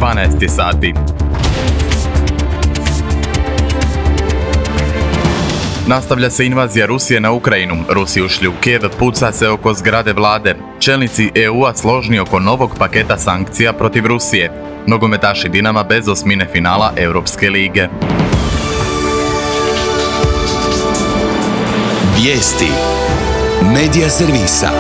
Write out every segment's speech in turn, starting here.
12 sati. Nastavlja se invazija Rusije na Ukrajinu. Rusi ušli u Kijev, puca se oko zgrade vlade. Čelnici EU-a složni oko novog paketa sankcija protiv Rusije. Nogometaši Dinama bez osmine finala Europske lige. Vijesti Medija servisa.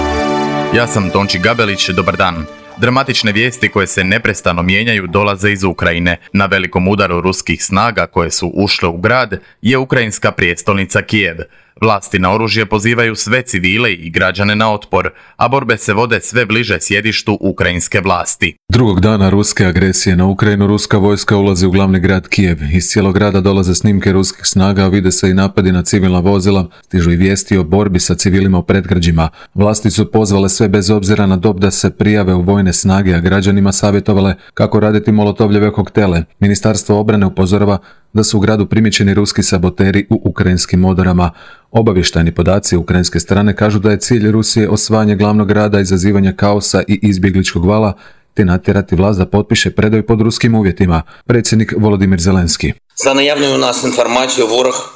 Ja sam Tonči Gabelić, dobar dan. Dramatične vijesti koje se neprestano mijenjaju dolaze iz Ukrajine. Na velikom udaru ruskih snaga koje su ušle u grad je ukrajinska prijestolnica Kijev. Vlasti na oružje pozivaju sve civile i građane na otpor, a borbe se vode sve bliže sjedištu ukrajinske vlasti. Drugog dana ruske agresije na Ukrajinu, ruska vojska ulazi u glavni grad Kijev. Iz cijelog grada dolaze snimke ruskih snaga, vide se i napadi na civilna vozila, stižu i vijesti o borbi sa civilima u predgrađima. Vlasti su pozvale sve bez obzira na dob da se prijave u vojne snage, a građanima savjetovale kako raditi molotovljeve koktele. Ministarstvo obrane upozorava da su u gradu primijećeni ruski saboteri u ukrajinskim odorama. Obavještajni podaci ukrajinske strane kažu da je cilj Rusije osvajanje glavnog grada, izazivanje kaosa i izbjegličkog vala, te natjerati vlast da potpiše predaju pod ruskim uvjetima. Predsjednik Volodimir Zelenski.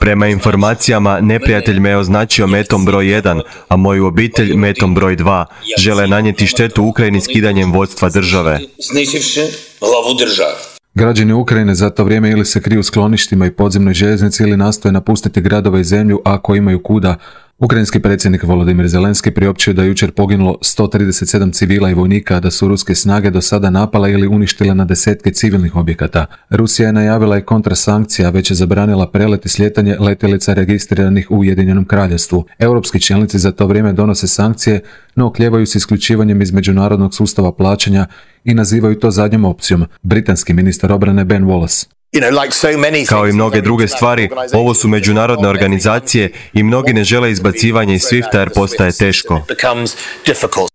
Prema informacijama, neprijatelj me je označio metom broj 1, a moju obitelj metom broj 2. Žele nanijeti štetu Ukrajini skidanjem vodstva države. Građani Ukrajine za to vrijeme ili se kriju u skloništima i podzemnoj željeznici ili nastoje napustiti gradove i zemlju ako imaju kuda. Ukrajinski predsjednik Volodimir Zelenski priopćio da je jučer poginulo 137 civila i vojnika, da su ruske snage do sada napale ili uništile na desetke civilnih objekata. Rusija je najavila i kontrasankcija, već je zabranila prelet i slijetanje letjelica registriranih u Ujedinjenom Kraljevstvu. Europski čelnici za to vrijeme donose sankcije, no oklijevaju s isključivanjem iz međunarodnog sustava plaćanja i nazivaju to zadnjom opcijom. Britanski ministar obrane Ben Wallace. Kao i mnoge druge stvari, ovo su međunarodne organizacije i mnogi ne žele izbacivanje iz SWIFT-a jer postaje teško.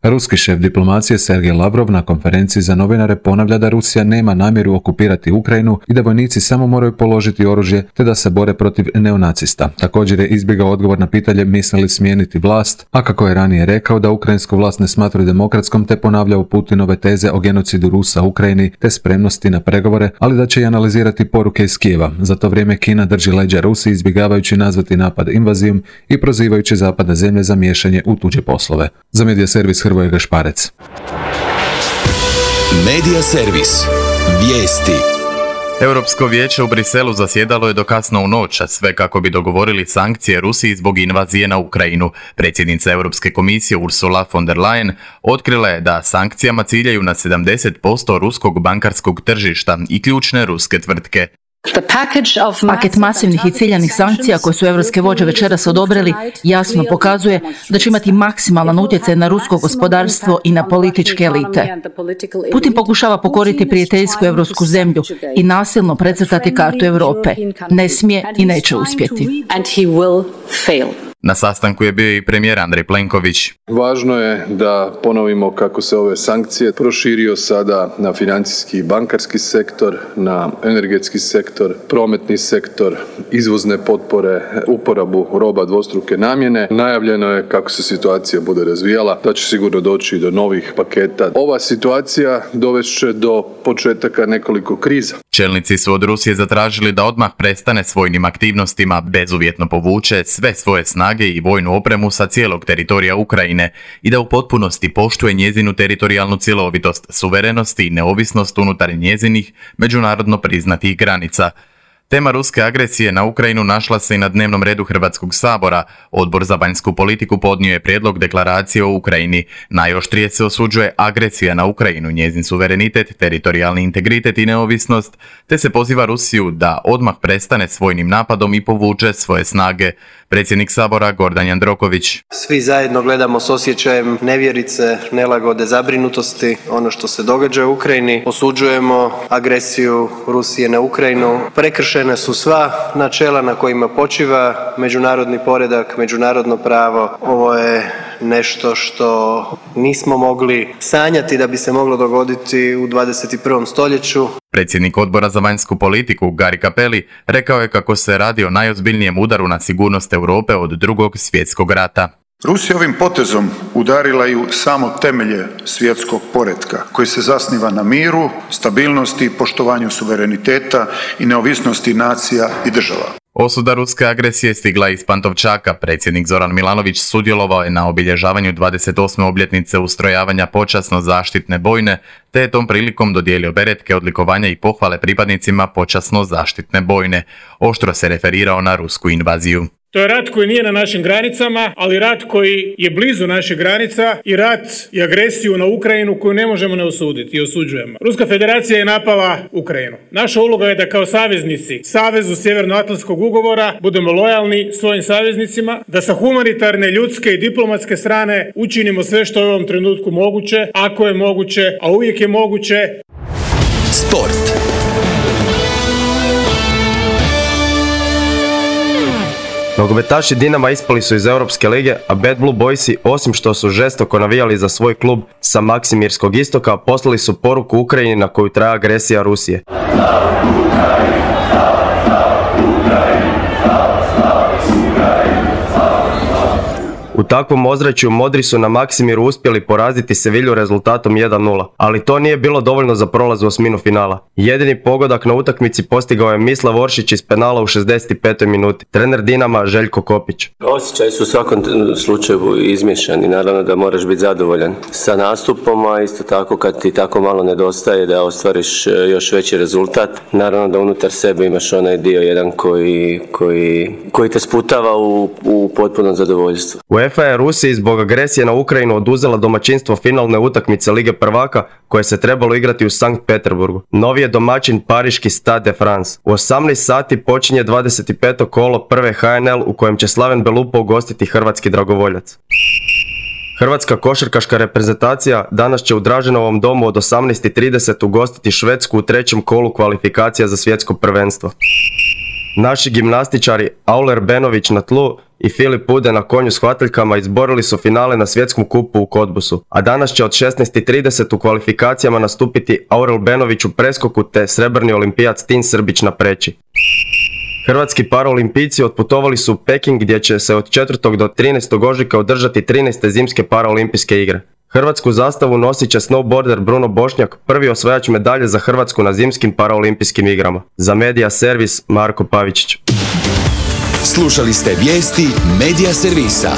Ruski šef diplomacije Sergej Lavrov na konferenciji za novinare ponavlja da Rusija nema namjeru okupirati Ukrajinu i da vojnici samo moraju položiti oružje te da se bore protiv neonacista. Također je izbjegao odgovor na pitanje misli li smijeniti vlast, a kako je ranije rekao da ukrajinsku vlast ne smatraju demokratskom, te ponavljao Putinove teze o genocidu Rusa u Ukrajini te spremnosti na pregovore, ali da će i analizirati poruke iz Kijeva. Za to vrijeme Kina drži leđa Rusiji, izbjegavajući nazvati napad invazijom i prozivajući zapadne zemlje za miješanje u tuđe poslove. Za Medija servis Hrvoje Gašparec. Medija servis. Vijesti. Europsko vijeće u Briselu zasjedalo je do kasno u noć, a sve kako bi dogovorili sankcije Rusiji zbog invazije na Ukrajinu. Predsjednica Europske komisije Ursula von der Leyen otkrila je da sankcijama ciljaju na 70% ruskog bankarskog tržišta i ključne ruske tvrtke. Paket masivnih i ciljanih sankcija koje su europske vođe večeras odobrili jasno pokazuje da će imati maksimalan utjecaj na rusko gospodarstvo i na političke elite. Putin pokušava pokoriti prijateljsku europsku zemlju i nasilno precrtati kartu Europe. Ne smije i neće uspjeti. Na sastanku je bio i premijer Andrej Plenković. Važno je da ponovimo kako se ove sankcije proširio sada na financijski i bankarski sektor, na energetski sektor, prometni sektor, izvozne potpore, uporabu roba dvostruke namjene. Najavljeno je kako se situacija bude razvijala, da će sigurno doći do novih paketa. Ova situacija dovest će do početaka nekoliko kriza. Čelnici su od Rusije zatražili da odmah prestane s vojnim aktivnostima, bezuvjetno povuče sve svoje snage i vojnu opremu sa cijelog teritorija Ukrajine i da u potpunosti poštuje njezinu teritorijalnu cjelovitost, suverenost i neovisnost unutar njezinih međunarodno priznatih granica. Tema ruske agresije na Ukrajinu našla se i na dnevnom redu Hrvatskog sabora. Odbor za vanjsku politiku podnio je prijedlog deklaracije o Ukrajini. Najoštrije se osuđuje agresija na Ukrajinu, njezin suverenitet, teritorijalni integritet i neovisnost, te se poziva Rusiju da odmah prestane s vojnim napadom i povuče svoje snage. Predsjednik sabora Gordan Jandroković. Svi zajedno gledamo s osjećajem nevjerice, nelagode, zabrinutosti ono što se događa u Ukrajini. Osuđujemo agresiju Rusije na Ukrajinu. Prekršene su sva načela na kojima počiva međunarodni poredak, međunarodno pravo. Ovo je nešto što nismo mogli sanjati da bi se moglo dogoditi u 21. stoljeću. Predsjednik odbora za vanjsku politiku Gari Cappelli rekao je kako se radi o najozbiljnijem udaru na sigurnost Europe od Drugog svjetskog rata. Rusija ovim potezom udarila i u samo temelje svjetskog poretka koji se zasniva na miru, stabilnosti, poštovanju suvereniteta i neovisnosti nacija i država. Osuda ruske agresije stigla iz Pantovčaka. Predsjednik Zoran Milanović sudjelovao je na obilježavanju 28. obljetnice ustrojavanja počasno zaštitne bojne, te je tom prilikom dodijelio beretke, odlikovanja i pohvale pripadnicima počasno zaštitne bojne. Oštro se referirao na rusku invaziju. To je rat koji nije na našim granicama, ali rat koji je blizu naših granica i rat i agresiju na Ukrajinu koju ne možemo ne osuditi i osuđujemo. Ruska federacija je napala Ukrajinu. Naša uloga je da kao saveznici Savezu Sjevernoatlantskog ugovora budemo lojalni svojim saveznicima, da sa humanitarne, ljudske i diplomatske strane učinimo sve što je u ovom trenutku moguće, ako je moguće, a uvijek je moguće. Sport. Nogometaši Dinama ispali su iz Europske lige, a Bad Blue Boysi, osim što su žestoko navijali za svoj klub sa Maksimirskog istoka, poslali su poruku Ukrajini na koju traje agresija Rusije. U takvom ozračju modri su na Maksimiru uspjeli poraziti Sevilju rezultatom 1:0, ali to nije bilo dovoljno za prolaz u osminu finala. Jedini pogodak na utakmici postigao je Mislav Oršić iz penala u 65. minuti. Trener Dinama Željko Kopić. Osjećaji su u svakom slučaju izmješani, naravno da moraš biti zadovoljan sa nastupom, a isto tako kad ti tako malo nedostaje da ostvariš još veći rezultat, naravno da unutar sebe imaš onaj dio jedan koji te sputava u potpuno zadovoljstvo. UEFA je Rusiji zbog agresije na Ukrajinu oduzela domaćinstvo finalne utakmice Lige prvaka koje se trebalo igrati u Sankt Peterburgu. Novi je domaćin pariški Stade de France. U 18 sati počinje 25. kolo prve HNL u kojem će Slaven Belupo ugostiti hrvatski dragovoljac. Hrvatska košarkaška reprezentacija danas će u Draženovom domu od 18:30 ugostiti Švedsku u trećem kolu kvalifikacija za svjetsko prvenstvo. Naši gimnastičari Auler Benović na tlu i Filip Pude na konju s hvataljkama izborili su finale na svjetskom kupu u Kotbusu, a danas će od 16:30 u kvalifikacijama nastupiti Aurel Benović u preskoku te srebrni olimpijac Tin Srbić na preći. Hrvatski paraolimpijci otputovali su u Peking gdje će se od 4. do 13. ožujka održati 13. zimske paraolimpijske igre. Hrvatsku zastavu nosit će snowboarder Bruno Bošnjak, prvi osvajač medalje za Hrvatsku na zimskim paraolimpijskim igrama. Za Medija Servis Marko Pavičić. Slušali ste vijesti Medija Servisa.